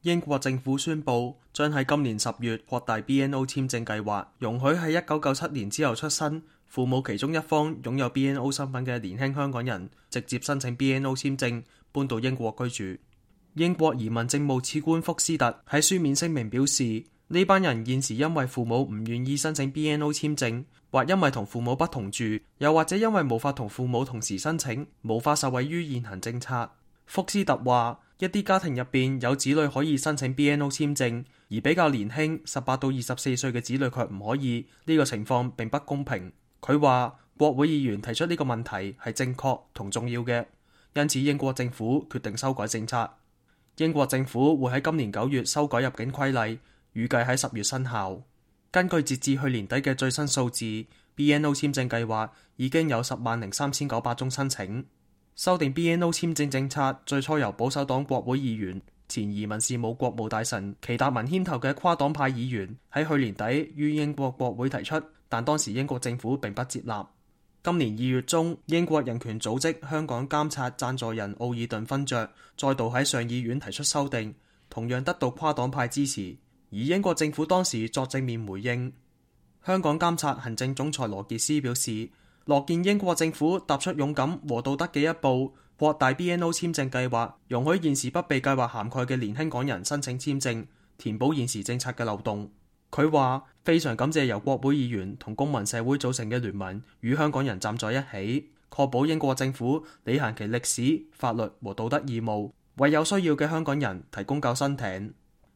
英國政府宣布將喺今年10月擴大 BNO 簽證計劃，容許喺1997年之後出生、父母其中一方擁有 BNO 身份嘅年輕香港人直接申請 BNO 簽證搬到英國居住。英國移民政務次官福斯特喺書面聲明表示，呢班人現時因為父母唔願意申請 BNO 簽證，或因為同父母不同住，又或者因為無法同父母同時申請，無法受惠於現行政策。福斯特話，一啲家庭入邊有子女可以申請 BNO 簽證，而比較年輕18到24歲嘅子女卻唔可以，呢個情況並不公平。佢話國會議員提出呢個問題係正確同重要嘅，因此英國政府決定修改政策。英國政府會喺今年9月修改入境規例，預計喺10月生效。根據截至去年底嘅最新數字， BNO 簽證計劃已經有103900宗申請。修訂 BNO 簽證政策最初由保守黨國會議員、前移民事務國務大臣祁達文牽頭嘅跨黨派議員喺去年底於英國國會提出，但當時英國政府並不接納。今年2月中，英國人權組織香港監察贊助人奧爾頓勳爵再度喺上議院提出修訂，同樣得到跨黨派支持，而英國政府當時作正面回應。香港監察行政總裁羅傑斯表示，樂見英國政府踏出勇敢和道德嘅一步，擴大 BNO 簽證計劃，容許現時不被計劃涵蓋嘅年輕港人申請簽證，填補現時政策嘅漏洞。佢話非常感謝由國會議員同公民社會組成嘅聯盟與香港人站在一起，確保英國政府履行其歷史、法律和道德義務，為有需要嘅香港人提供救生艇。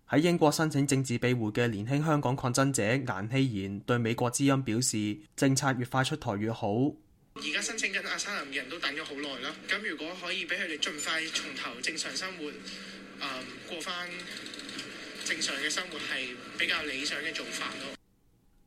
喺英國申請政治庇護嘅年輕香港抗爭者顏希賢對美國之音表示，政策越快出台越好。而家申請緊阿沙林嘅人都等咗好耐啦，咁如果可以俾佢哋盡快從頭正常生活，過翻正常嘅生活係比較理想嘅做法咯。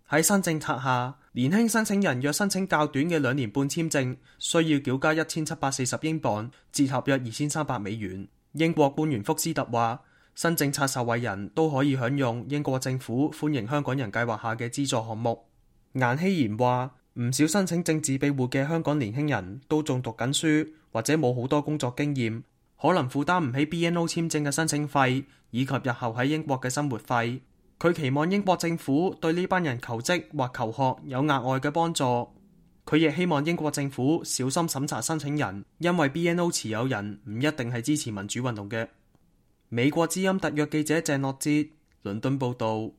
喺新政策下，年輕申請人若申請較短嘅2年半簽證，需要繳交1740英鎊，折合約2300美元。英國官員福斯特話，新政策受惠人都可以享用英國政府歡迎香港人計劃下嘅資助項目。顏希賢話，唔少申請政治庇護嘅香港年輕人都仲讀緊書，或者冇好多工作經驗，可能負擔唔起 BNO 簽證嘅申請費，以及日後喺英國嘅生活費。佢期望英國政府對呢班人求職或求學有額外嘅幫助。佢亦希望英國政府小心審查申請人，因為 BNO 持有人唔一定係支持民主運動嘅。美國之音特約記者鄭樂哲，倫敦報導。